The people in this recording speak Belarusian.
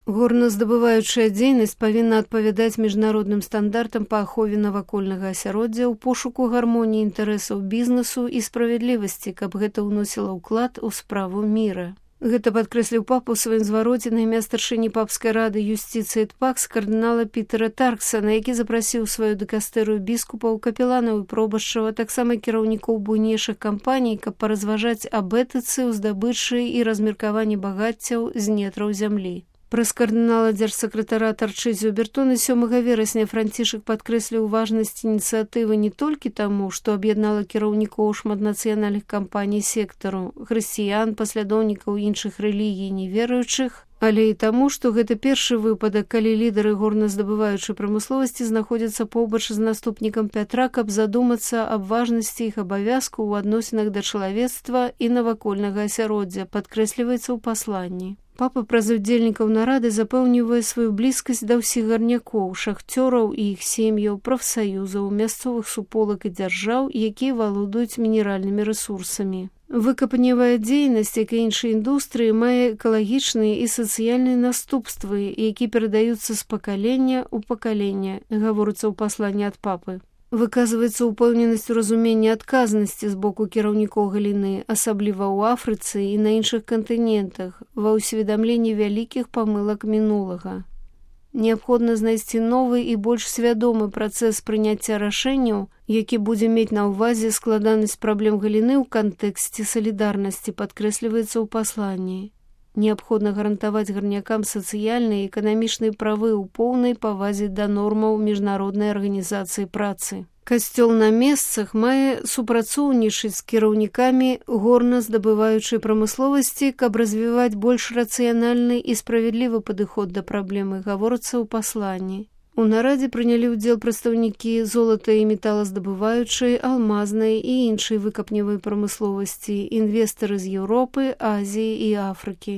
Горназдабываючая дзейнасць павінна адпавядаць міжнародным стандартам па ахове навакольнага асяроддзя ў пошуку гармоніі інтарэсаў бізнесу і справядлівасці, каб гэта ўносіла ўклад у справу міра. Гэта падкрэсліў папа ў сваім звароце на імя старшыні папскай рады юстыцыі ТПАКС кардынала Пітера Тарксана, які запрасіў сваю дыкастэрыю біскупаў, капеланаў і пробашчаў, а таксама кіраўнікоў буйнейшых кампаній, каб паразважаць аб этыцы ў здабычы і размеркаванні багаццяў з нетраў зямлі. Праз кардынала дзяржсакратара Тарчызіо Бертоны 7 верасня Францішак падкрэсліў важнасць ініцыятывы не толькі таму, што аб'яднала кіраўнікоў шматнацыянальных кампаній сектару, хрысціян, паслядоўнікаў іншых рэлігій неверуючых, але і таму, што гэта першы выпадак, калі лідары горназдабываючай прамысловасці знаходзяцца побач з наступнікам Пятра, каб задумацца аб важнасці іх абавязку ў адносінах да чалавецтва і навакольнага асяроддзя, падкрэсліваецца ў пасланні. Папа праз удзельнікаў нарады запэўнівае сваю блізкасць да ўсіх гарнякоў, шахцёраў і іх сем'яў, прафсаюзаў, мясцовых суполак і дзяржаў, якія валодаюць мінеральнымі рэсурсамі. Выкапневая дзейнасць, як і іншыя індустрыі, мае экалагічныя і сацыяльныя наступствы, які перадаюцца з пакалення ў пакаленне, гаворыцца ў пасланні ад папы. Выказваецца ўпэўненасць у разуменні адказнасці з боку кіраўнікоў галіны, асабліва ў Афрыцы і на іншых кантынентах, ва ўсведамленні вялікіх памылак мінулага. Неабходна знайсці новы і больш свядомы працэс прыняцця рашэнняў, які будзе мець на ўвазе складанасць праблем галіны ў кантэксце салідарнасці, падкрэсліваецца ў пасланні. Неабходна гарантаваць гарнякам сацыяльныя і эканамічныя правы ў поўнай павазе да нормаў міжнароднай арганізацыі працы. Касцёл на месцах мае супрацоўнічаць з кіраўнікамі горназдабываючай прамысловасці, каб развіваць больш рацыянальны і справядлівы падыход да праблемы, гаворыцца ў пасланні. У нарадзе прынялі ўдзел прадстаўнікі золата і металаздабываючай, алмазнай і іншай выкапневай прамысловасці, інвестары з Еўропы, Азіі і Афрыкі.